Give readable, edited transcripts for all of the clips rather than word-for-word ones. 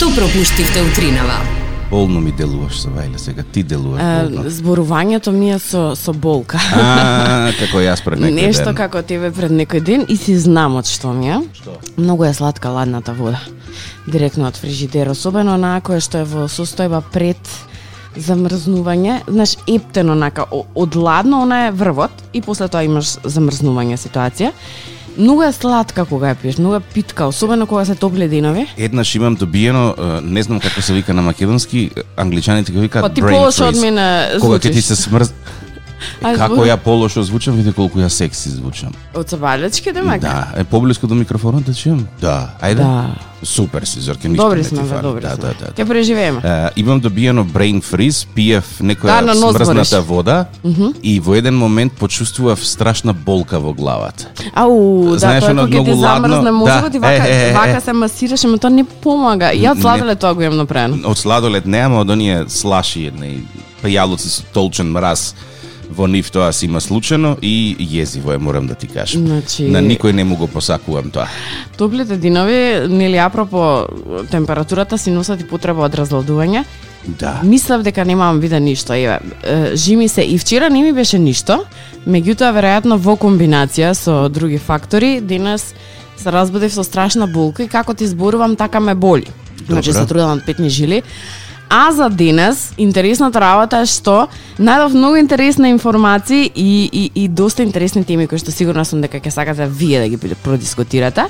Што пропуштивте утринава? Болно ми делуваш со Вајле, сега ти делуваш болно. Зборувањето ми е со болка. Како јас пред некој ден. Нешто како тебе пред некој ден и си знам од што ми е. Што? Многу е сладка ладната вода. Директно од фрижидер, особено онаа која што е во состојба пред замрзнување, знаеш, ептено онака од ладно, она е врвот и после тоа имаш замрзнување ситуација. Многу е сладка кога ја пиеш, многу е питка, особено кога се топли денови. Еднаш имам добиено, не знам како се вика на македонски, англичаните го викаат Па ти brain полошо од freeze. мене Кога ќе звучиш. ти се смрз... Како ја полошо звучам, види колку ја секси звучам. Од Цабалечки, демек? Да, поблиску до микрофонот да чуем? Да, ајде. Да. Супер си, Зорке, ништо Добри не ти сме, фали. добри Да, сме. да, да. Ќе преживееме. Имам добиено brain freeze, пиев некоја на нос смрзната бориш. вода и во еден момент почувствував страшна болка во главата. Ау, да, Знаеш, тоа оно кога ќе ти многу ладно, замрзне мозокот да. и вака се масираш, ама тоа не помага. Јас сладолед тоа го имам направено. Од сладолед нема, од оние слаши едни пајалоци со толчен мраз во нив тоа си има случено и језиво е, морам да ти кажам. Значи- На никој не му го посакувам тоа. Топлите динови, нели апропо температурата си носат и потреба од разладување. Да. Мислев дека немам вида ништо, еве. Жими се и вчера не ми беше ништо, меѓутоа веројатно во комбинација со други фактори, денес се разбудив со страшна болка и како ти зборувам така ме боли. Значи се трудам од петни жили. А за денес, интересната работа е што најдов многу интересни информации и доста интересни теми кои што сигурна сум дека ќе сакате вие да ги продискутирате.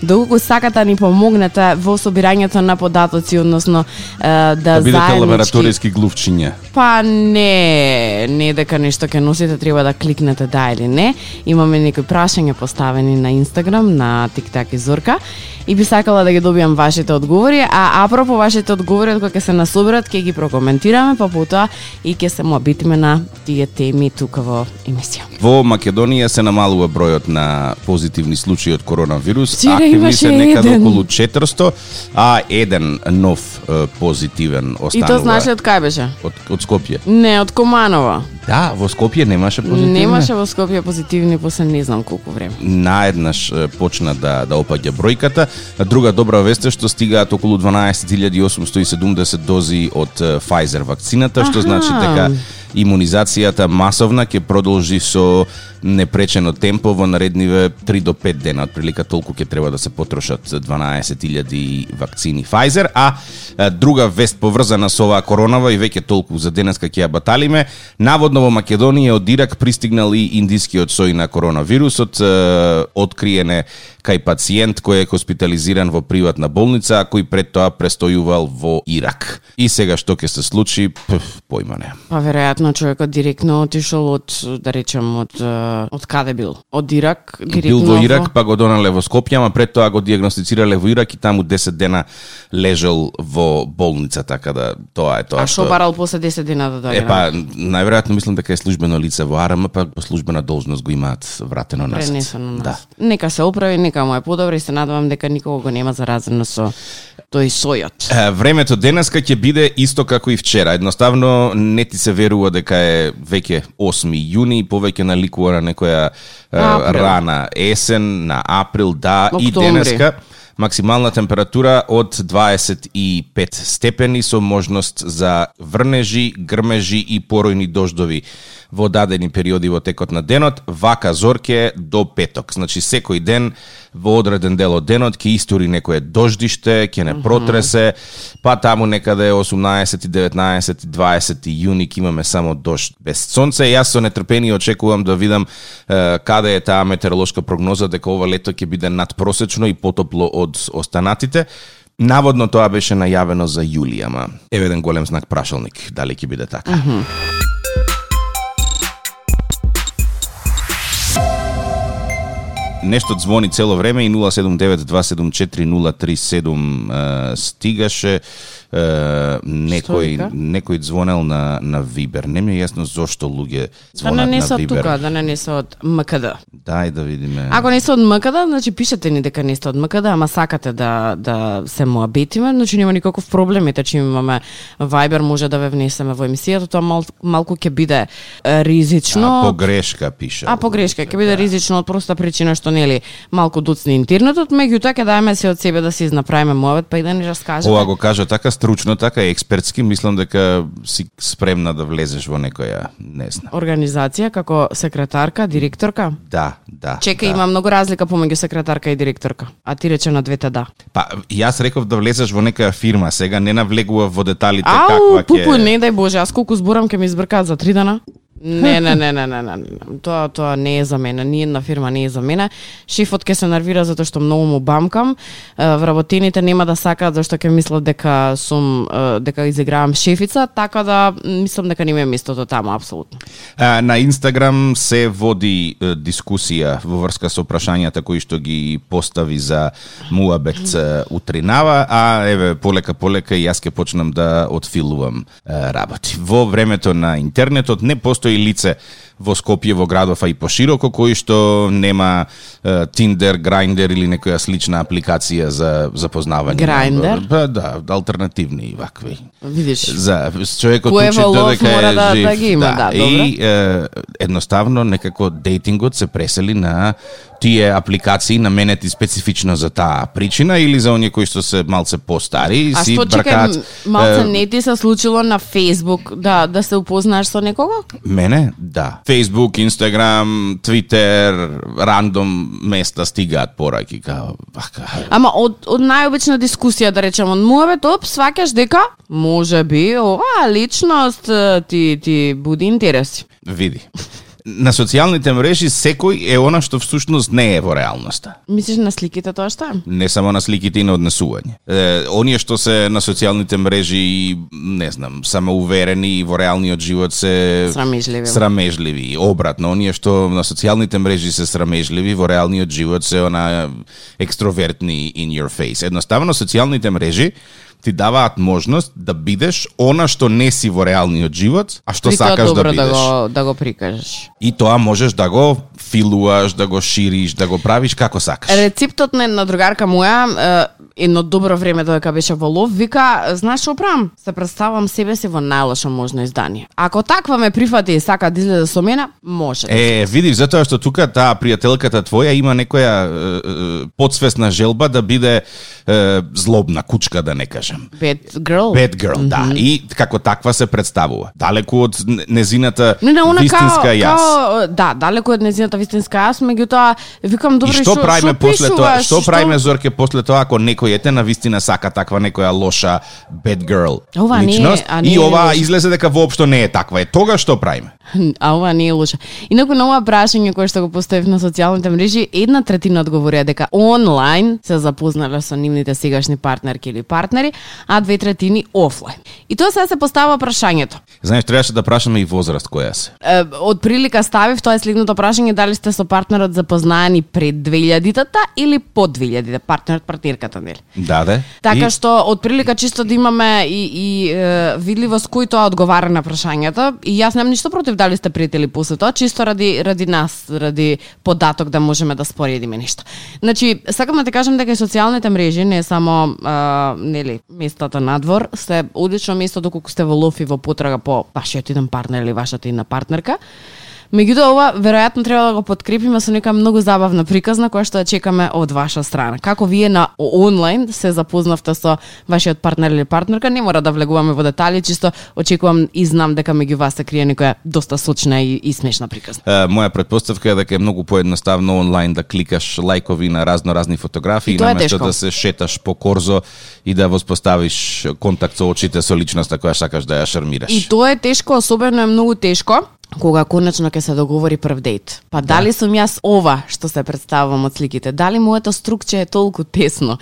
Доколку сакате ни помогнете во собирањето на податоци, односно да Бидете заеднички... лабораториски глувчиња. Па не дека нешто ќе носите, треба да кликнете да или не. Имаме некои прашања поставени на Инстаграм, на TikTok и Зорка. И би сакала да ги добиам вашите одговори, а апропо вашите одговори кога ќе се насоберат, ќе ги прокоментираме, па потоа и ќе се мобитиме на тие теми тука во емисија. Во Македонија се намалува бројот на позитивни случаи од коронавирус. Вчера Активни имаше се некаде еден. околу 400, а еден нов позитивен И останува. тоа знаеш од кај беше? Од Скопје. Не, од Команово. Да, во Скопје немаше позитивни. Немаше во Скопје позитивни после не знам колку време. Наеднаш почна да опаѓа бројката. Друга добра вест е што стигаат околу 12.870 дози од Pfizer вакцината, што значи дека имунизацијата масовна ќе продолжи со непречено темпо во наредниве 3 до 5 дена. Отприлика толку ќе треба да се потрошат 12.000 вакцини Pfizer, а друга вест поврзана со оваа коронава и веќе толку за денеска ќе ја баталиме. Наводно во Македонија од Ирак пристигнал и индискиот сој на коронавирусот, откриене кај пациент кој е хоспитализиран во приватна болница, а кој пред тоа престојувал во Ирак. И сега што ќе се случи, појма не. Па веројатно човекот директно отишол од, да речем, од каде бил? Од Ирак, директно Бил во Ирак, па го донале во Скопје, ама пред тоа го диагностицирале во Ирак и таму 10 дена лежал во болница, така да тоа е тоа. А што барал после 10 дена да дојде? Па, најверојатно мислам дека е службено лице во АРМ, па по службена должност го имаат вратено назад. Пренесено на Да. нас. Нека се оправи, нека му е подобро и се надевам дека никого го нема заразено со тој сојот. Времето денеска ќе биде исто како и вчера. Едноставно не ти се верува дека е веќе 8 јуни, повеќе наликува на некоја Април. рана есен, на април, да, и Октомври. денеска максимална температура од 25 степени со можност за врнежи, грмежи и поројни дождови во дадени периоди во текот на денот, вака Зорке до петок. Значи секој ден во одреден дел од денот ќе истори некое дождиште, ќе не протресе, па таму некаде 18, 19, 20 јуни ќе имаме само дожд без сонце. Јас со нетрпение очекувам да видам каде е таа метеоролошка прогноза дека ова лето ќе биде надпросечно и потопло од останатите. Наводно тоа беше најавено за јули, ама еве еден голем знак прашалник, дали ќе биде така. Нешто звони цело време и 079-274-037 стигаше некој звонел на Вибер. Не ми е јасно зошто луѓе Да звонат не на се од Вибер. тука, да не се од МКД. Дај да видиме. Ако не се од МКД, значи пишете ни дека не сте од МКД, ама сакате да се муабетиме, значи нема никаков проблем, ете че имаме Viber, може да ве внесеме во емисијата, тоа малку ќе биде ризично. Погрешка пише. Погрешка, ќе биде ризично од проста причина што што нели малку дуцни интернетот, меѓутоа ќе даеме се од себе да се изнаправиме муабет, па и да ни раскажеме. Ова го кажа така стручно, така експертски, мислам дека си спремна да влезеш во некоја, не знам, организација како секретарка, директорка? Да. Чекај, има многу разлика помеѓу секретарка и директорка. А ти рече на двете да. Па, јас реков да влезеш во некоја фирма, сега не навлегува во деталите каква ќе... Пупу, не дај Боже, аз колку зборам ќе ми избркаат за 3 дана. Не. Тоа не е за мене. Ни една фирма не е за мене. Шефот ќе се нервира затоа што многу му бамкам. Вработените нема да сакаат зашто ќе мислат дека сум дека изигравам шефица, така да мислам дека не ми е местото таму апсолутно. На Инстаграм се води дискусија во врска со прашањата кои што ги постави за муабет утринава, а еве полека и јас ќе почнам да отфилувам работи. Во времето на интернетот не постои лице во Скопје, во градов, а и пошироко, кој што нема Tinder, Grindr или некоја слична апликација за запознавање. Grindr? Да, алтернативни вакви. Видиш. За човекот учи додека е жив. Да ги има, да, и едноставно некако дейтингот се пресели на тие апликации наменети специфично за таа причина или за оние кои што се малце постари и си бркаат. А што малце не ти се случило на Facebook да се упознаеш со некого? Мене? Да. Facebook, Instagram, Twitter, рандом места стигаат пораки као вака. Ама од најобична дискусија да речеме од муабет, сваќаш дека може би оваа личност ти буди интереси. Види. На социјалните мрежи секој е она што всушност не е во реалноста. Мислиш на сликите тоа што е? Не само на сликите и на однесување. Оние што се на социјалните мрежи, не знам, самоуверени и во реалниот живот се срамежливи. Обратно, оние што на социјалните мрежи се срамежливи, во реалниот живот се она екстровертни in your face. Едноставно социјалните мрежи ти даваат можност да бидеш она што не си во реалниот живот, а што сакаш да бидеш. Да го прикажеш. И тоа можеш да го филуаш, да го шириш, да го правиш како сакаш. Рецептот на една другарка моја, едно добро време додека беше во лов, вика, знаеш што правам? Се представам себе си во најлошо можно издание. Ако таква ме прифати и сака да излезе со мене, може. Видиш, затоа што тука таа пријателката твоја има некоја подсвесна желба да биде злобна кучка, да не кажам. Bad girl, да. И како таква се представува. Далеку од незината вистинска јас. Да, далеку од незината вистинска јас, меѓутоа викам добро, и што правиме после тоа? Што правиме, Зорке, после тоа ако некој ете на вистина сака таква некоја лоша bad girl личност и ова излезе дека воопшто не е таква. Тога што правиме? А ова не е лоша. Инаку на ова прашање кое што го поставив на социјалните мрежи, 1/3 одговорија дека онлайн се запознале со нивните сегашни партнерки или партнери, а 2/3 офлайн. И тоа сега се поставува прашањето. Знаеш, требаше да прашаме и возраст која се. Од прилика ставив тоа е следното прашање: дали сте со партнерот запознаени пред 2000-тата или по 2000-та, партнерката, нели? Да. Така што од прилика чисто да имаме и видливост кој тоа одговара на прашањето, и јас немам ништо против дали сте пријатели после тоа, чисто ради нас, ради податок да можеме да споредиме нешто. Значи, сакам да ти кажам дека и социјалните мрежи не само нели местата надвор, се одлично место доколку сте во лов и во потрага по вашиот еден партнер или вашата една партнерка. Меѓутоа, ова веројатно треба да го подкрепиме со нека многу забавна приказна која што ја чекаме од ваша страна. Како вие на онлайн се запознавте со вашиот партнер или партнерка, не мора да влегуваме во детали, чисто очекувам и знам дека меѓу вас се крие некоја доста сочна и смешна приказна. Моја претпоставка е дека е многу поедноставно онлайн да кликаш лајкови на разни фотографии наместо да се шеташ по корзо и да воспоставиш контакт со очите со личноста која сакаш да ја шармираш. И тоа е тешко, особено е многу тешко кога конечно ќе се договори прв дејт. Па дали сум јас ова што се представувам од сликите? Дали моето струкче е толку тесно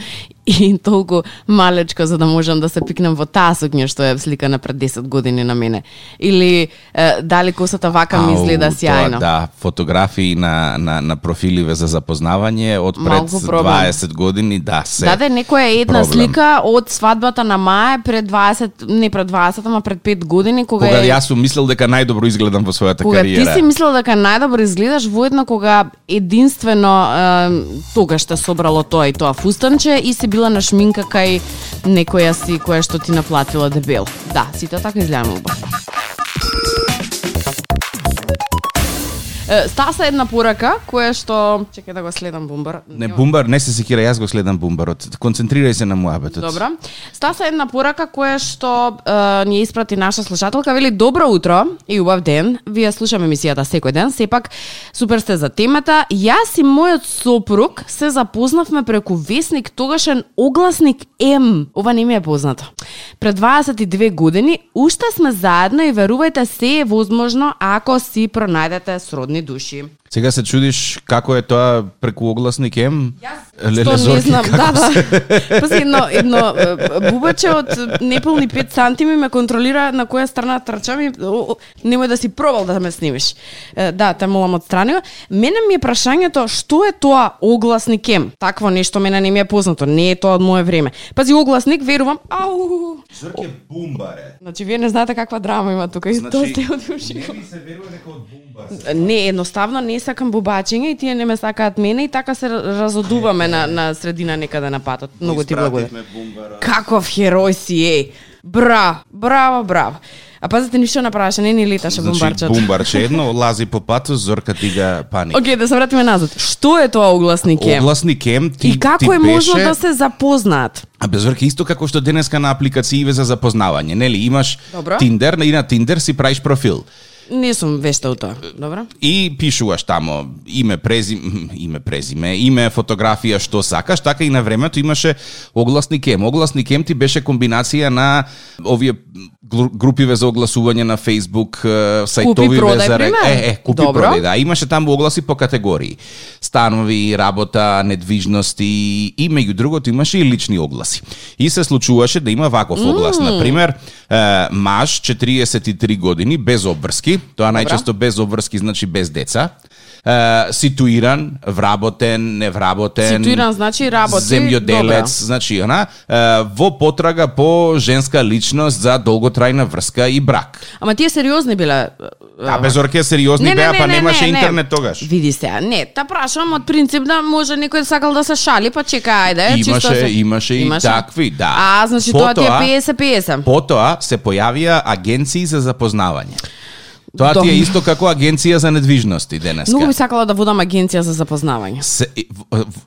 и толку малечко за да можам да се пикнем во таа сукња што е сликана пред 10 години на мене? Или дали косата вака ми изгледа сјајно? Да, фотографии на профиливе за запознавање од пред 20 години, да, се. Да, некоја една слика од свадбата на Маја пред 20, не пред 20, ама пред 5 години кога јас сум мислел дека најдобро изгледам во својата кариера. Кога ти си мислел дека најдобро изгледаш, воедно кога единствено тогаш те собрало тоа и тоа фустанче и си била на шминка кај некоја си која што ти наплатила дебел. Да, сите така изгледаме убаво. Стаса една порака која што чекај да го следам Бумбар. Не Бумбар, не се секира, јас го следам Бумбарот. Концентрирај се на муабетот. Добра. Стаса една порака која што ни испрати наша слушателка, вели добро утро и убав ден. Вие слушаме емисијата секој ден, сепак супер сте за темата. Јас и мојот сопруг се запознавме преку весник тогашен Огласник М. Ова не ми е познато. Пред 22 години уште сме заедно и верувајте се е возможно ако си пронајдете сродни души. Сега се чудиш како е тоа преку Огласник М? Јас што не знам, да. Пази, едно бубаче од неполни 5 сантими ме контролира на која страна трчам и немој да си пробал да ме снимиш. Да, те молам отстрани го. Мене ми е прашањето што е тоа Огласник М? Такво нешто мене не ми е познато, не е тоа од мое време. Пази, Огласник, верувам, Зорке Бумбаре. Значи, вие не знаете каква драма има тука и тоа сте од уши. Не ми се верува дека од Бумбар. Не, едноставно не сакам бубачење и тие не ме сакаат мене и така се разодуваме на средина некаде на патот. Многу ти благодарам. Каков херој си е. Браво. А пазите ништо направаше, не ни леташе бумбарчето. Значи бумбарче едно лази по патот, Зорка дига паник. Океј, да се вратиме назад. Што е тоа Огласник М? Огласник М и како е можно да се запознаат? А без Зорка исто како што денеска на апликацииве за запознавање, нели? Имаш Добро. Тиндер и на Тиндер си правиш профил. Не сум вешта у тоа. Добро. И пишуваш тамо име, презиме, име, фотографија, што сакаш, така и на времето имаше Огласник М. Огласник М ти беше комбинација на овие групиве за огласување на Facebook, сајтовиве за купи продај, да, имаше таму огласи по категории. Станови, работа, недвижности и меѓу другото имаше и лични огласи. И се случуваше да има ваков оглас, на пример, маж 43 години без обврски. Тоа најчесто без обврски значи без деца. Ситуиран, вработен, невработен. Ситуиран значи работи, земјоделец, значи во потрага по женска личност за долготрајна врска и брак. Ама тие сериозни биле. А без орке сериозни беа, па немаше интернет тогаш. Види се, не, та прашам од принцип да може некој сакал да се шали, па чека, ајде, имаше и такви, да. А, значи тоа ти е 50-50. Потоа се појавија агенции за запознавање. Тоа ти е исто како агенција за недвижности денеска. Многу би сакала да водам агенција за запознавање.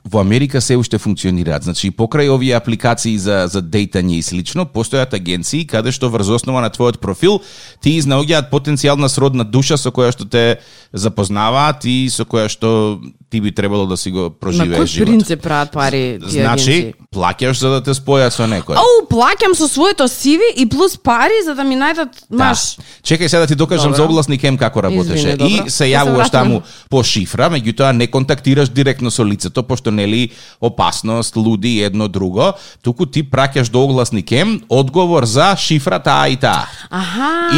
Во Америка се уште функционираат. Значи, покрај овие апликации за дејтање и слично, постојат агенции каде што врз основа на твојот профил ти изнаоѓаат потенцијална сродна душа со која што те запознаваат и со која што ти би требало да си го проживееш живот. На кој принцип прават пари тие агенции? Значи, плаќаш за да те спојат со некој. Плаќам со своето CV и плюс пари за да ми најдат маш. Чекај сега да ти докажам за Огласник М како работеше. И се јавуваш таму по шифра, меѓутоа не контактираш директно со лицето, пошто нели опасност, луди едно друго, туку ти праќаш до Огласник М одговор за шифра таа и таа.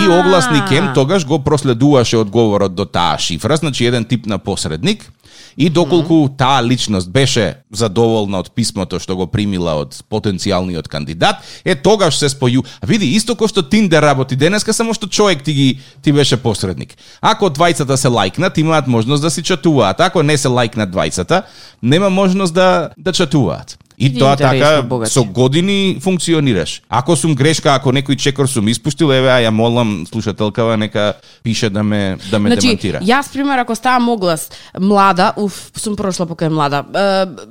И Огласник М тогаш го проследуваше одговорот до таа шифра, значи еден тип на посредник. И доколку таа личност беше задоволна од писмото што го примила од потенцијалниот кандидат, тогаш се споју. Види, исто кој што Тиндер работи денеска, само што човек ти беше посредник. Ако двајцата се лајкнат, имаат можност да си чатуваат. Ако не се лајкнат двајцата, нема можност да чатуваат. И тоа така со години функционираш. Ако сум грешка, ако некој чекор сум испуштил, ја молам слушателкава нека пише да ме демантира. Јас пример ако ставам оглас млада, сум прошла покај млада.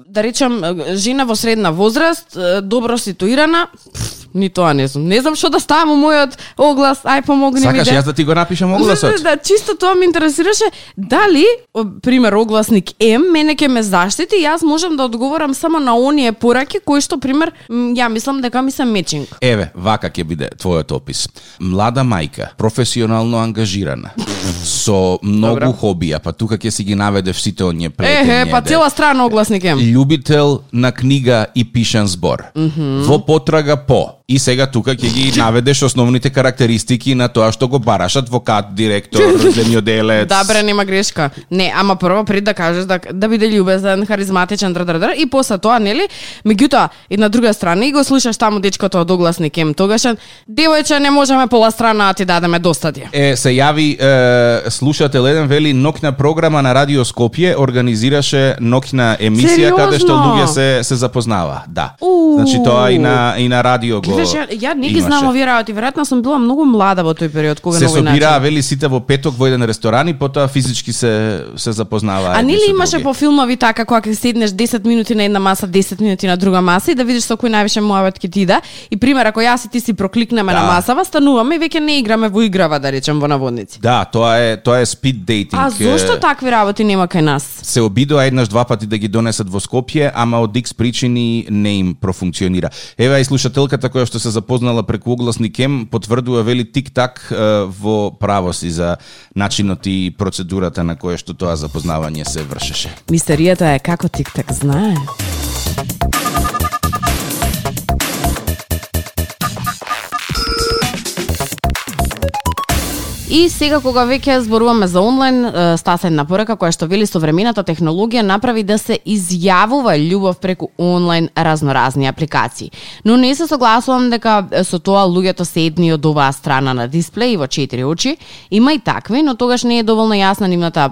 Да речам жена во средна возраст, добро ситуирана, ни тоа не сум. Не знам што да ставам у мојот оглас, ај помогни ми. Сакаш јас да ти го напишам огласот? Да, чисто тоа ме интересираше дали пример Огласник М мене ќе ме заштити, јас можам да одговорам само на оние пораки кои што пример ја мислам дека ми се мечинг. Еве, вака ќе биде твојот опис. Млада мајка, професионално ангажирана, со многу хобија, па тука ќе си ги наведеш сите оние плетења. Па цела страна Огласник М. Љубител на книга и пишан збор. Во потрага по. И сега тука ќе ги наведеш основните карактеристики на тоа што го бараш, адвокат, директор, земјоделец. Да, бре, нема грешка. Не, ама прво пред да кажеш да биде љубезен, харизматичен, и после тоа, нели? Меѓутоа, и на друга страна и го слушаш таму дечкото од Огласник М тогашен, девојче, не можеме пола страна да ти дадеме достатие. Се јави слушател еден вели ноќна програма на Радио Скопје организираше ноќна емисија каде што луѓе се запознава. Да. Значи тоа и на радио го. Ја не ги знам овие работи, веројатно сум била многу млада во тој период кога се собираа вели сите во петок во еден ресторан и потоа физички се запознаваа. А нели имаше по филмови така кога ќе седнеш 10 минути на една маса, 10 минути на друга маса и да видиш со кој највише муабет ќе ти иде и пример ако јас и ти си прокликнеме на масава, стануваме и веќе не играме во играва, да речем, во наводници. Да, тоа е спид дейтинг. А зошто такви работи нема кај нас? Се обидоа еднаш два пати да ги донесат во Скопје, ама од X причини не им профункционира. Ева и слушателката која што се запознала преку огласник М потврдува вели тик-так во право си за начинот и процедурата на која што тоа запознавање се вршеше. Мистеријата е како тик-так знае. И сега кога веќе зборуваме за онлайн, стасена порака која што вели современата технологија направи да се изјавува љубов преку онлайн разноразни апликации. Но не се согласувам дека со тоа луѓето се едни од оваа страна на дисплеј во 4 очи. Има и такви, но тогаш не е доволно јасна нивната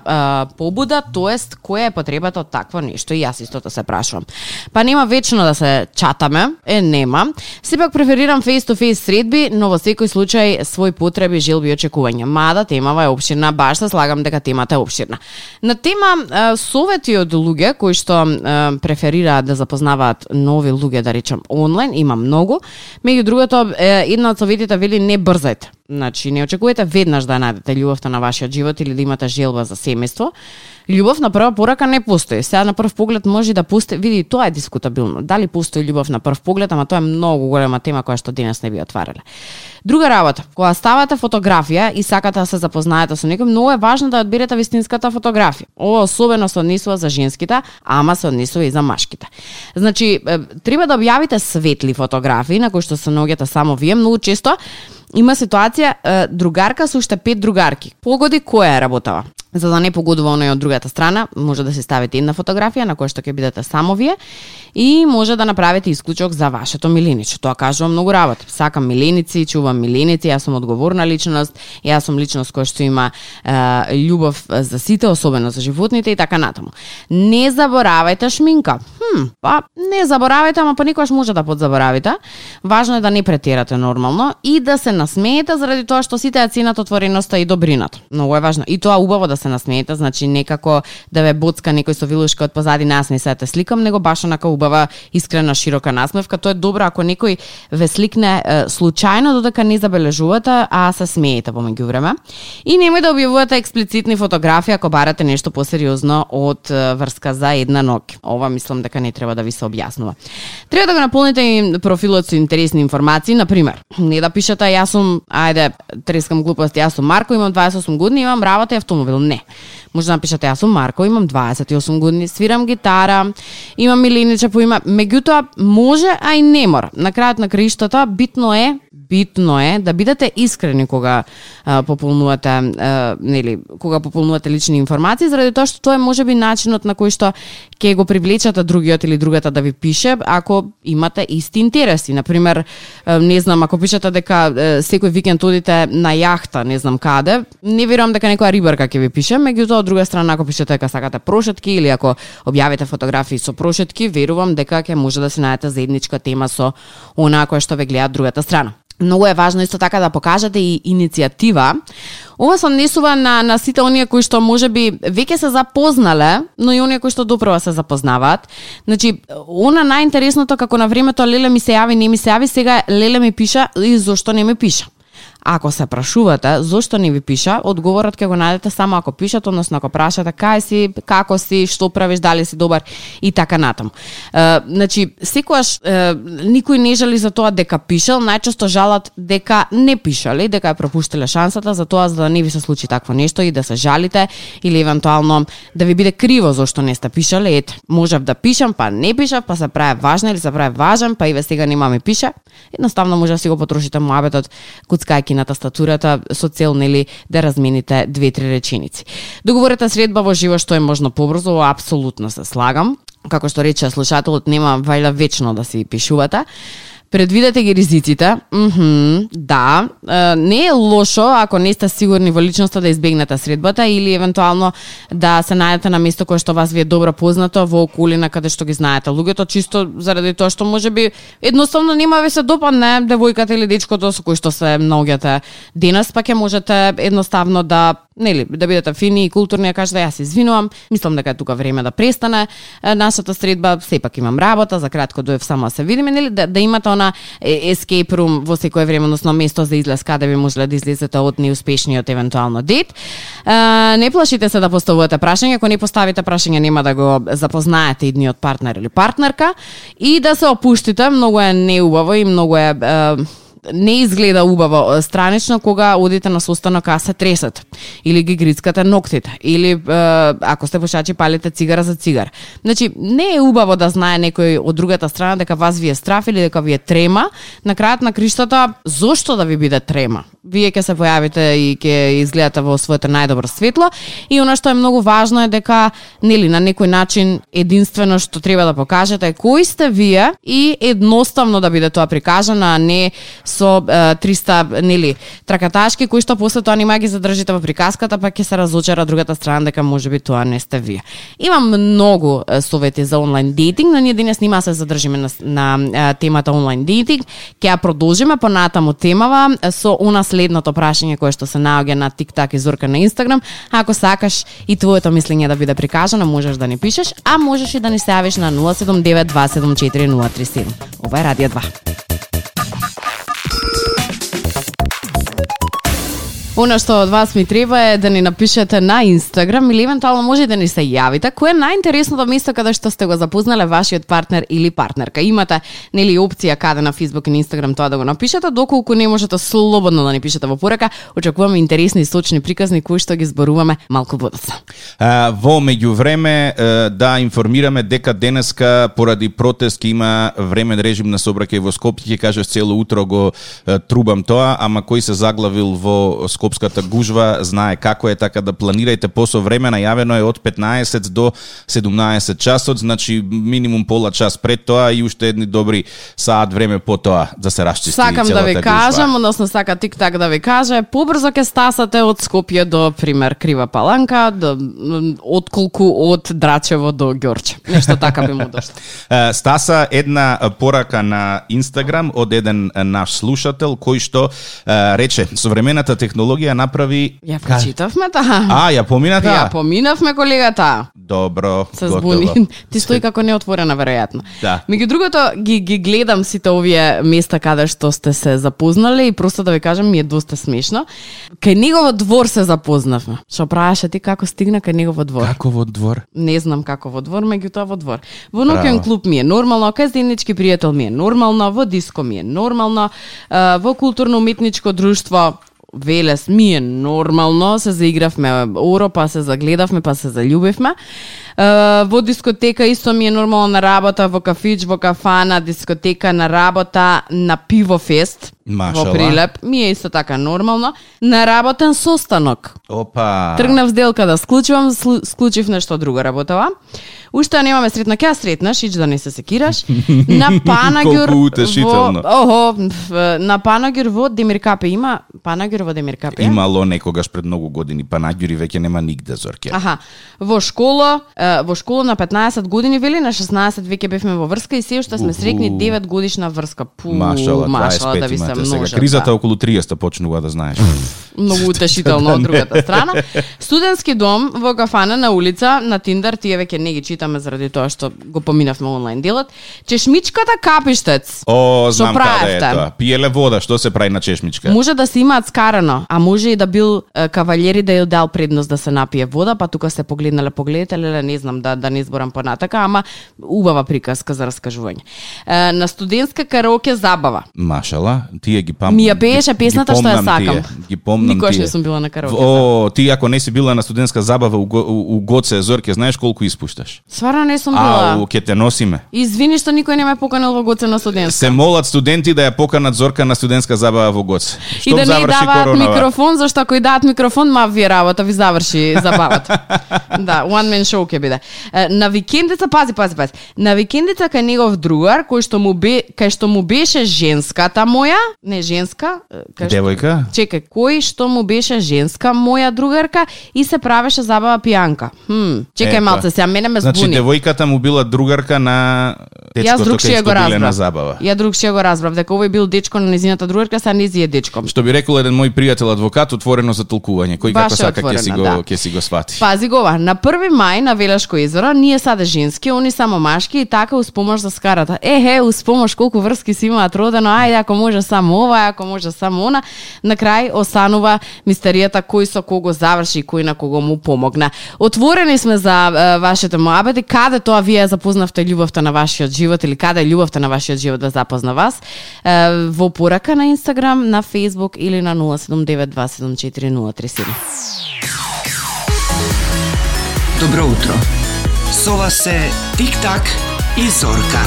побуда, тоест која е потребата од такво нешто. И јас истото се прашувам. Па нема вечно да се чатаме, нема. Сепак преферирам face-to-face средби, но во секој случај свој потреби, желби и очекувања. Мада темава е опширна, баш се слагам дека темата е опширна. На тема совети од луѓе кои што преферираат да запознаваат нови луѓе, да речем онлайн, има многу. Меѓу другото, една од советите вели не брзајте. Значи, не очекувате веднаш да најдете љубовта на вашиот живот или да имате желба за семејство. Љубов на прва порака не постои. Сега на прв поглед може да постои, види, тоа е дискутабилно. Дали постои љубов на прв поглед, ама тоа е многу голема тема која што денес не би отварале. Друга работа, кога ставате фотографија и сакате да се запознаете со некој, многу е важно да одберете вистинската фотографија. Ова особено се однесува за женските, ама се однесува и за машките. Значи, треба да објавите светли фотографии на кои што се наоѓате само вие. Многу често има ситуација другарка со уште 5 другарки. Погоди која е работава. За да не погодува оној од другата страна, може да се ставите една фотографија на која што ќе бидете само вие и може да направите исклучок за вашето милениче. Тоа кажувам многу работи. Сакам миленици, чувам миленици, јас сум одговорна личност, јас сум личност која што има љубов за сите, особено за животните и така натаму. Не заборавајте шминка. Па не заборавајте, ама понекогаш може да подзаборавите. Важно е да не претерате нормално и да се насмеете заради тоа што сите ја ценат отвореноста и добрината. Многу е важно. И тоа убаво да се насмеете, значи некако да ве боцка некој со вилушка од позади нас не се те сликам, него баш онака убава искрена широка насмевка. Тоа е добро ако некој ве сликне случајно додека не забележувате, а се смеете помеѓу време. И немој да објавувате експлицитни фотографии ако барате нешто посериозно од врска за една ноќ. Ова мислам дека не треба да ви се објаснува. Треба да го наполните и профилот со интересни информации, на пример, не да пишете јас сум, ајде, трескам глупости, јас сум Марко, имам 28 години, имам работа и автомобил. Не. Може да напишете јас сум Марко, имам 28 години, свирам гитара, имам милениче по име. Меѓутоа може, а и не мора. На крајот на краиштата битно е да бидете искрени кога пополнувате кога пополнувате лични информации, заради тоа што тоа е можеби начинот на кој што ќе го привлечете другиот или другата да ви пише ако имате исти интереси. Например, не знам, ако пишете дека секој викенд одите на јахта, не знам каде, не верувам дека некоја рибарка ќе ви пише, меѓутоа од друга страна ако пишете дека сакате прошетки или ако објавите фотографии со прошетки, верувам дека ќе може да се најдете заедничка тема со онаа која што ве гледа другата страна. Многу е важно исто така да покажете и иницијатива. Ова се однесува на сите оние кои што можеби веќе се запознале, но и оние кои што допрва се запознаваат. Значи, она најинтересното како на времето леле ми се јави, не ми се јави, сега леле ми пиша и зошто не ми пиша. Ако се прашувате зошто не ви пиша, одговорот ќе го најдете само ако пишат, односно ако прашате кај си, како си, што правиш, дали си добар и така натаму. Значи, секогаш никој не жали за тоа дека пишал, најчесто жалат дека не пишале, дека ја пропуштиле шансата за тоа, за да не ви се случи такво нешто и да се жалите или евентуално да ви биде криво зошто не сте пишале. Ете, можев да пишам, па не пишав, па се прави важна или се прави важен, па и сега нема ми пише. Едноставно може да си го потрошите муабетот куцкајки на тастатурата со цел нели да размените 2-3 реченици. Договорете средба во живо што е можно побрзо, апсолутно се слагам. Како што рече слушателот, нема вајда вечно да си пишувате. Предвидете ги ризиците. Да, не е лошо ако не сте сигурни во личноста да избегнете средбата или евентуално да се најдете на место кое што вас ви е добро познато во околина каде што ги знаете луѓето, чисто заради тоа што можеби едноставно нема ви се допадне девојката или дечкото со кој што се наоѓате денес, па ќе можете едноставно да бидете фини и културни, кажете јас извинувам, мислам дека е тука време да престане нашата средба, сепак имам работа, за кратко доев само да се видиме, нели да имате она escape room во секое време, односно место за излез каде би можеле да излезете од неуспешниот евентуално дет. Не плашите се да поставувате прашања, ако не поставите прашање нема да го запознаете идниот партнер или партнерка и да се опуштите, многу е неубаво и многу е не изгледа убаво странично кога одите на состанок а се тресат или ги грицкате ноктите или ако сте пушачи палите цигара за цигар. Значи не е убаво да знае некој од другата страна дека вас ви е страф или дека ви е трема. На крајот на криштата зошто да ви биде трема? Вие ќе се појавите и ќе изгледате во своето најдобро светло и она што е многу важно е дека нели на некој начин единствено што треба да покажете е кои сте вие и едноставно да биде тоа прикажано, а не со 300 нели тракаташки кои што после тоа нема ги задржите во приказката, па ќе се разочара другата страна дека можеби тоа не сте вие. Имам многу совети за онлайн дейтинг, но ние денес нема се задржиме на темата онлайн дейтинг. Ќе ја продолжиме понатаму темава со она следното прашање кое што се наоѓа на TikTok и Зорка на Instagram. Ако сакаш и твоето мислење да биде прикажано, можеш да ни пишеш, а можеш и да ни се јавиш на 079 274 037. Ова е Радио 2. Оно што од вас ми треба е да ни напишете на Instagram или евентуално може да ни се јавите. Кој е најинтересното место каде што сте го запознале вашиот партнер или партнерка? Имате нели опција каде на Facebook и на Instagram тоа да го напишете, доколку не можете слободно да ни пишете во порака. Очекуваме интересни сочни приказни кои што ги зборуваме малку подоцна. Во меѓувреме да информираме дека денеска поради протест има времен режим на сообраќај во Скопје. Ќе кажеш цело утро го трубам тоа, ама кој се заглавил во Скопската гужва знае како е, така да планирајте посо време. Најавено е од 15 до 17 часот, значи минимум пола час пред тоа и уште едни добри саат време по тоа да се расчисти целата гужва. Сакам да ви кажам, односно сака TikTok да ви каже, побрзо ќе стасате од Скопје до пример Крива Паланка, отколку од Драчево до Ѓорче. Нешто така би му дошло. Стаса една порака на Instagram од еден наш слушател кој што рече современата технологија направи... Ја прочитавме таа. Ја помина таа? Ја поминавме колегата. Добро, се збуни. Ти стои како неотворена веројатно. Да. Меѓу другото ги гледам сите овие места каде што сте се запознали и просто да ви кажам ми е доста смешно. Кај негово двор се запознавме. Што правеше ти како стигна кај негово двор? Како во двор? Не знам како во двор, меѓутоа во двор. Во ноќен клуб ми е нормално, кај заеднички пријател ми е нормално, во диско ми е нормално, во културно-уметничко друштво Велес ми е нормално, се заигравме оро, па се загледавме, па се заљубивме. Во дискотека исто ми е нормално, на работа, во кафич, во кафана, дискотека, на работа, на пивофест. Во Прилеп ми е исто така нормално. На работен состанок. Опа. Тргнав сделка да склучувам, склучив нешто друго работава. Уште немаме сретно, ќе сретнаш, ич да не се секираш. На Панаѓур колку утешително. На Панаѓур во Демиркапе има Панаѓур во Демиркапе. Имало некогаш пред многу години Панаѓури, веќе нема нигде, Зорке. Во школа на 15 години вели, на 16 веќе бевме во врска и се уште сме срекни 9 годишна врска. Машала да ви се множат. Кризата околу 30 почнува да знаеш. Многу утешително од другата страна. Студентски дом во кафана на улица, на Тиндер, тие веќе не ги читаме заради тоа што го поминавме онлайн делот. Чешмичката Капиштец. Знам каде е тоа. Пиеле вода, што се прави на чешмичка? Може да се имаат скарано, а може и да бил кавалери да ја дал предност да се напие вода, па тука се погледнале, не знам да не изборам понатака, ама убава приказка за раскажување. На студентска караоке забава. Машала, тие ги памтам. Ми ја пееше песната што ја сакам. Ги помнам спомнам Никогаш тие. не сум била на караоке. Ти ако не си била на студентска забава у Гоце, Зорке, знаеш колку испушташ? Стварно не сум била. Ќе те носиме. Извини што никој не ме поканил во Гоце на студентска. Се молат студенти да ја поканат Зорка на студентска забава во Гоце. И да не даваат микрофон, зашто ако и дадат микрофон, ма ви работа, ви заврши забавата. Да, one man show ќе биде. На викендица, пази. На викендица кај негов другар, кај што му беше женската моја, не женска, девојка? Чекај, кој што му беше женска моја другарка и се правеше забава пијанка. Чекај малце, сега мене ме збуни. Значи девојката му била другарка на дечкото кај што биле на забава. Ја другшија го разбрав, дека овој бил дечко на незината другарка, са нези е дечко. Што би рекол еден мој пријател адвокат, отворено за толкување. Кој како сака ќе си го свати. Пази го ова, на 1 мај на Велешко езеро, ние саде женски, они само машки и така успомаш за скарата. Успомаш колку врски си имаат родено, ајде ако може само ова, ако може само она. На крај останува мистеријата кој со кого заврши и кој на кого му помогна. Отворени сме за вашите моабети, каде тоа вие запознавте љубовта на вашиот живот или каде љубовта на вашиот живот да запозна вас, во порака на Инстаграм, на Фејсбук или на 079274037. Добро утро. Со вас се Тик-так и Зорка.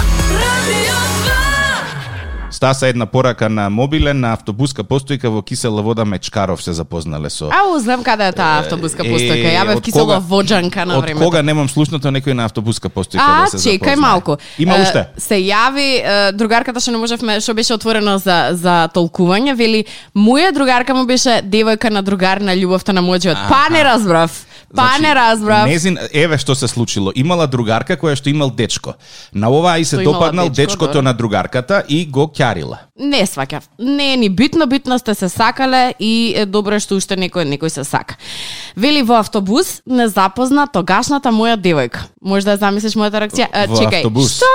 Стаса една порака на мобилен на автобуска постојка во Кисела Вода Мечкаров се запознале со. Знам каде е таа автобуска постојка. Ја бев Кисела Воджанка на времето. Од кога немам слушнато некој на автобуска постојка да се запознае? Чекај малку. Има уште. Се јави другарката што не можевме, што беше отворено за толкување, вели моја другарка му беше девојка на другар на љубовта на мојот живот. Не разбрав. Не разбрав. Незин, еве што се случило. Имала другарка која што имал дечко. На оваа и се допаднал дечкото на другарката и го ќарила. Не сваќав. Не е ни битно сте се сакале и е добро што уште некој се сака. Вели во автобус не запозна тогашната моја девојка. Може да замислиш мојата реакција? Чекај. Автобус. Што?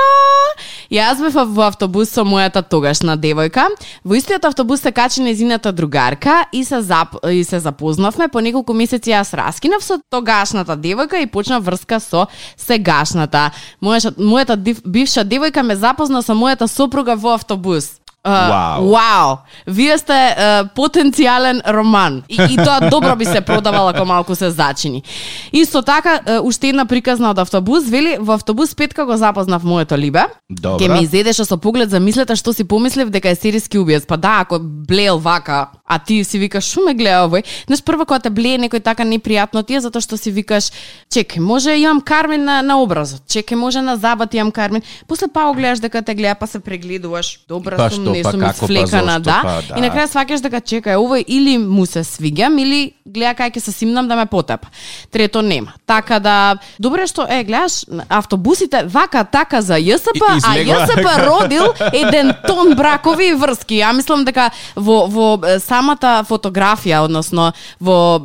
Јас бев во автобус со мојата тогашна девојка. Во истиот автобус се качи незината другарка и се запознавме. По неколку месеци јас раскинав со тогашната девојка и почна врска со сегашната. Мојата бивша девојка ме запозна со мојата сопруга во автобус. Вау! Вие сте потенцијален роман. И тоа добро би се продавало ако малку се зачини. Исто така, уште една приказна од автобус, вели, во автобус петка го запознав моето либе. Ке ме изедеше со поглед, замислете што си помислив дека е серијски убиец. Па да, ако блеел вака, а ти си викаш, шо ме гледа овој? Знаеш, прво кога те блее некој така непријатно ти е затоа што си викаш, чекај, може имам кармин на образот, чекај, може на забат имам кармин. После па го гледаш дека те гледа, па се прегледуваш. Добра сум, не сум изфлекана, да. И на крај сваќаш дека чекај, овој или му се свиѓам, или гледа кај ќе се симнам да ме потепа. Трето нема. Така да, добре што, гледаш, автобусите вака така за ЈСП, а ЈСП родил еден тон бракови и врски. Ја мислам дека во самата фотографија, односно во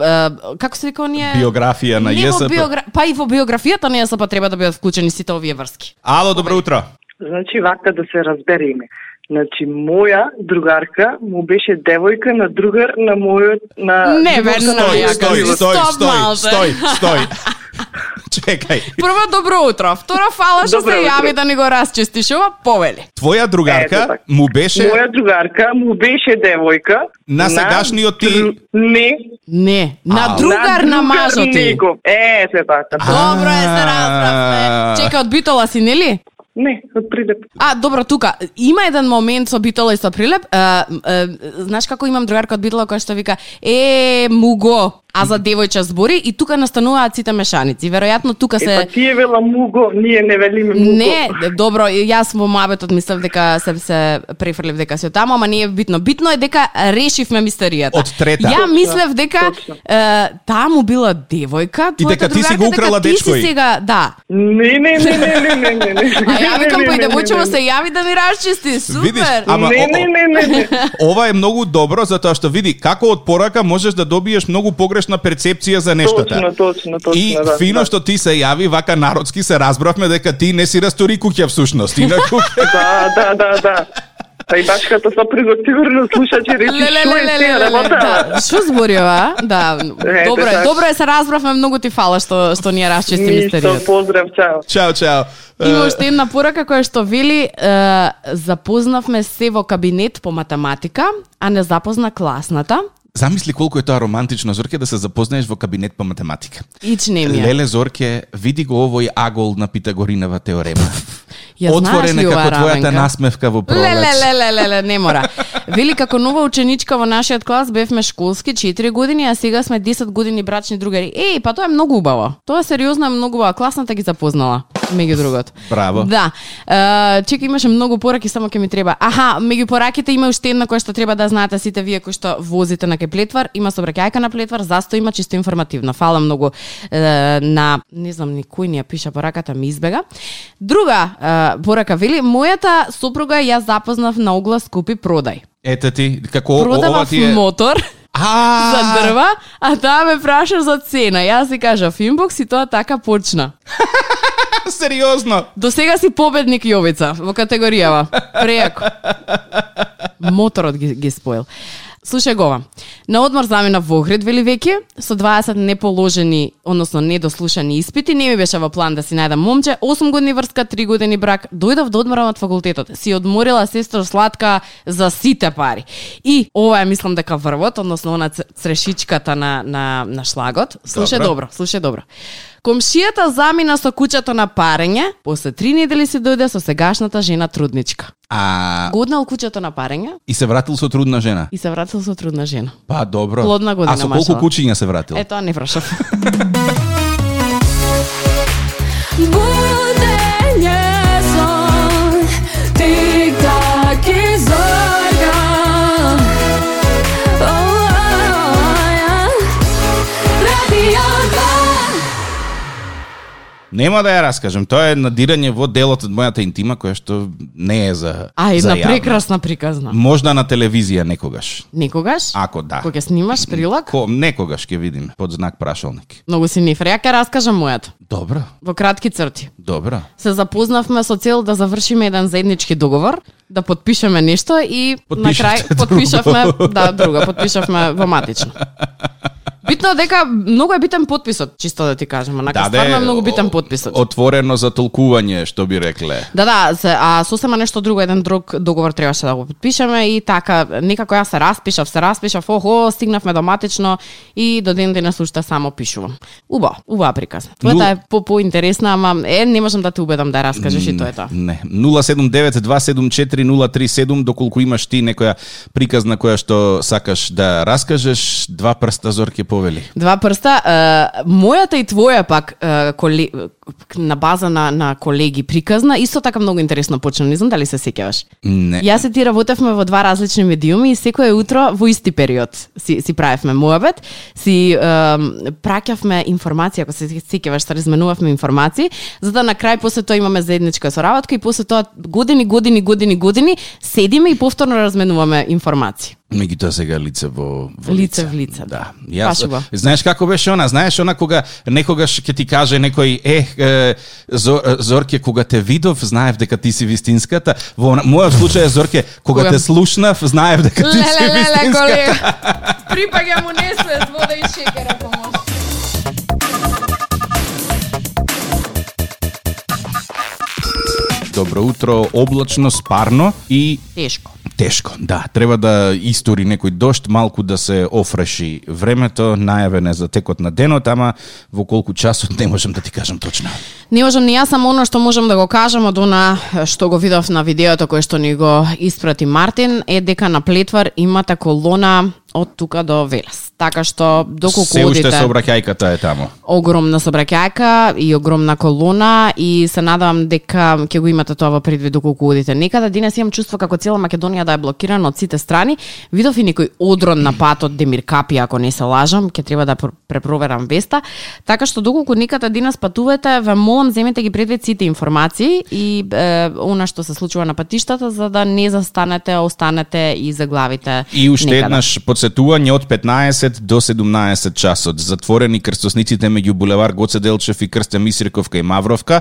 како се вика оние биографија на ЈСП. Па и во биографијата на ЙСП треба да бидат вклучени сите овие врски. Ало, добро утро. Значи вака да се разбереме. Значи моја другарка му беше девојка на другар на мојот на Стој. Чекај. Прво добро утро. Второ фала што се јави да ни го расчистиш ова, повели. Твоја другарка му беше моја другарка му беше девојка на сегашниот ти. Не, на другар на мажот ти. Се така. Добро се разбравме. Чекај, од Битола си, нели? Не, од Прилеп. Добро, тука. Има еден момент со Битола и со Прилеп. Знаеш како имам другарка од Битола која што вика, муго, а за девојче збори и тука настануваат сите мешаници. Веројатно тука се Па тие вела муго, ние не велиме муго. Не, добро, јас во муабетот мислев дека се префрлив дека се таму, ама не е битно. Битно е дека решивме мистеријата. Од трета. Ја мислев дека таму била девојка, и дека ти си го украла дечко. Не. А ја викам па и девојчево се јави да ми расчисти. Супер. Видиш, ама не. Ова е многу добро затоа што види како од порака можеш да добиеш многу погрешна перцепција за нештата. Точно. И фино што ти се јави вака народски се разбравме дека ти не си растори куќа всушност. Да. Па и башката сопругот сигурно слушачи речи што е таа работа. Што збори ова? Да, добро е се разбравме, многу ти фала што ни ја расчисти мистеријата. Ништо, поздрав, чао. Има уште една порака која што вели запознавме се во кабинет по математика, а не запозна класната. Замисли колку е тоа романтично, Зорке, да се запознаеш во кабинет по математика. Ич не ми е. Леле, Зорке, види го овој агол на Питагоринова теорема. Отворена како твојата насмевка во пролет. Леле, не мора. Вели, како нова ученичка во нашиот клас бевме школски 4 години, а сега сме 10 години брачни другари. Па тоа е многу убаво. Тоа сериозно е многу убаво. Класната ги запознала, меѓу другото. Браво. Да. Чека, имаше многу пораки, само ќе ми треба. Меѓу пораките има уште една која што треба да знаете сите вие кои што возите на Плетвар. Има сообраќајка на Плетвар, засто има чисто информативно. Фала многу на, не знам ни кој ни ја пиша пораката, ми избега. Друга порака вели, мојата сопруга ја запознав на оглас купи продај. Ете ти, како продавав ова ти е... мотор за дрва, а таа ме праша за цена. Јас си кажав инбокс и тоа така почна. Сериозно? До сега си победник, Јовица, во категоријава. Прејако. Моторот ги споил. Слушај го ова. На одмор замина во Охрид, вели веќе, со 20 неположени, односно недослушани испити, не ми беше во план да си најдам момче, 8 години врска, 3 години брак, дојдов да одморам од факултетот. Си одморила сестро сладка за сите пари. И ова е, мислам дека врвот, односно она црешичката на шлагот. Слушај добро. Комшијата замина со куќето на парење, после 3 недели се дојде со сегашната жена трудничка. Годнал куќето на парење. И се вратил со трудна жена? И се вратил со трудна жена. Па, добро. Плодна година, а со колку куќиња се вратил? Тоа не прашав. Будење сон, тик-так и зорка. Нема да ја раскажем, тоа е надирање во делот од мојата интима, која што не е за една за прекрасна приказна. Можда на телевизија некогаш. Некогаш? Ако да. Кога ќе снимаш прилог? Некогаш ќе видим, под знак прашалник. Многу си нифр. Ја ќе раскажам мојата. Добро. Во кратки црти. Добро. Се запознавме со цел да завршиме еден заеднички договор, да потпишеме нешто и на крај потпишавме, потпишавме во матично. Битно дека многу е битен потписот, чисто да ти кажам, онака стварно е многу битен потписот. Отворено за толкување, што би рекле. Да, а сосема нешто друго, еден друг договор требаше да го потпишеме и така некако јас се распишав, стигнавме до матично и до ден денес уште само пишувам. Убава приказна. Твојата е поинтересна, ама не можам да те убедам да ја раскажеш и тоа е тоа. Не. 079-274-037, доколку имаш ти некоја приказна која што сакаш да раскажеш, два прста, Зорке, повели. Два прста. Мојата и твоја пак на база на колеги приказна, исто така многу интересно почна, не знам дали се сеќаваш. Не. Јас и ти работевме во два различни медиуми и секое утро во исти период си правевме муабет, си праќавме информација, ако се сеќаваш, се разменувавме информации, за да на крај после тоа имаме заедничка соработка и после тоа години седиме и повторно разменуваме информации. Меѓутоа сега лице во лице. Да. Јас, знаеш како беше она? Знаеш она кога некогаш ќе ти каже некој Зорке, кога те видов, знаев дека ти си вистинската. Во мојот случај, Зорке, кога те слушнав, знаев дека ти си вистинската. Припаѓа му несвест, вода и шекера помош. Добро утро, облачно, спарно и тешко, да. Треба да истори некој дожд, малку да се офреши времето, најавен е за текот на денот, ама во колку часот не можам да ти кажам точно. Не можам ни јас, само оно што можам да го кажам од она што го видов на видеото кој што ни го испрати Мартин е дека на Плетвар имате колона од тука до Велес. Така што доколку се уште сообраќајката е таму. Огромна сообраќајка и огромна колона и се надевам дека ќе го имате тоа во предвид доколку одите некаде. Денес имам чувство како цела Македонија да е блокирана од сите страни. Видов и некој одрон на патот Демир Капи, ако не се лажам, ќе треба да препроверам веста. Така што доколку некаде денес патувате, ве молам земете ги предвид сите информации и она што се случува на патиштата за да не застанете, останете и заглавите. И уште еднаш подсетување од 15 до 17 часот. Затворени крстосниците меѓу булевар Гоце Делчев и Крстен Мисирков кај Мавровка,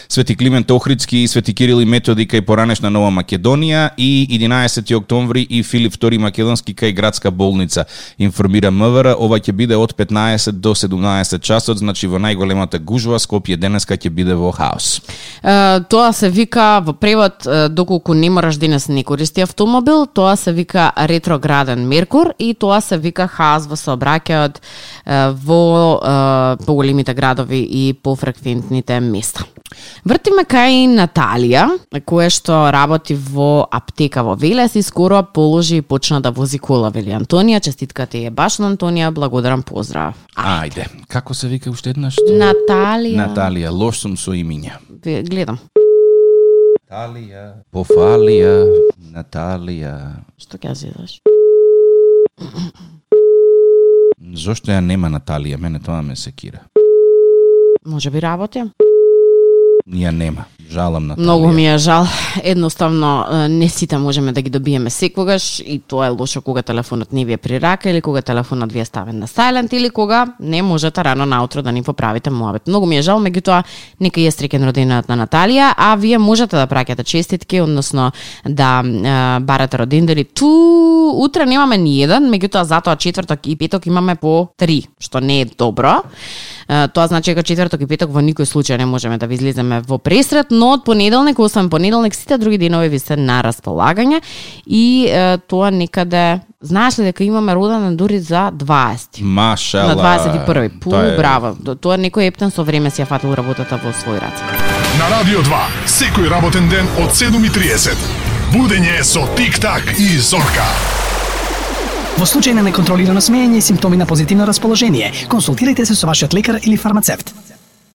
Свети Климент Охридски и Свети Кирил и Методи кај поранешна Нова Македонија и 11 октомври и Филип II Македонски кај Градска болница. Информира МВР, ова ќе биде од 15 до 17 часот, значи во најголемата гужва Скопје денеска ќе биде во хаос. Тоа се вика во превод, доколку не мораш денес не користи автомобил, тоа се вика ретрограден Меркур и и тоа се вика хазва, се обраќаат во поголемите градови и пофреквентните места. Вртиме кај Наталија, која што работи во аптека во Велес и скоро положи и почна да вози кола, вели Антонија. Честитка ти е баш на Антонија, благодарам, поздрав. Ајде, како се вика уште еднаш? Наталија, лош сум со имиња. Гледам. Наталија, Пофалија, Наталија. Што ќе зидаш? Зошто ја нема Наталија? Мене тоа ме секира. Може би работи? Ја нема. Жалам Наталија. Многу ми е жал. Едноставно не сите можеме да ги добиеме секогаш и тоа е лошо кога телефонот не ви е при рака или кога телефонот ви е ставен на silent или кога не можете рано наутро да ни поправите муабет. Многу ми е жал, меѓутоа нека е среќен роденденот на Наталија, а вие можете да праќате честитки, односно да барате родендени. Утре немаме ни еден, меѓутоа затоа четврток и петок имаме по 3, што не е добро. Тоа значи дека четврток и петок во никој случај не можеме да ви излеземе во пресрет, но од понеделник, освен понеделник, сите други денови ви се на располагање и тоа некаде, знаеш ли дека имаме роденден дури за 20. Машала. На 21. Браво. Тоа некој ептен со време си ја фатил работата во свој раце. На Радио 2, секој работен ден од 7:30. Будење со Тик-так и Зорка. Во случај на неконтролирано смеење и симптоми на позитивно расположение, консултирайте се со вашиот лекар или фармацевт.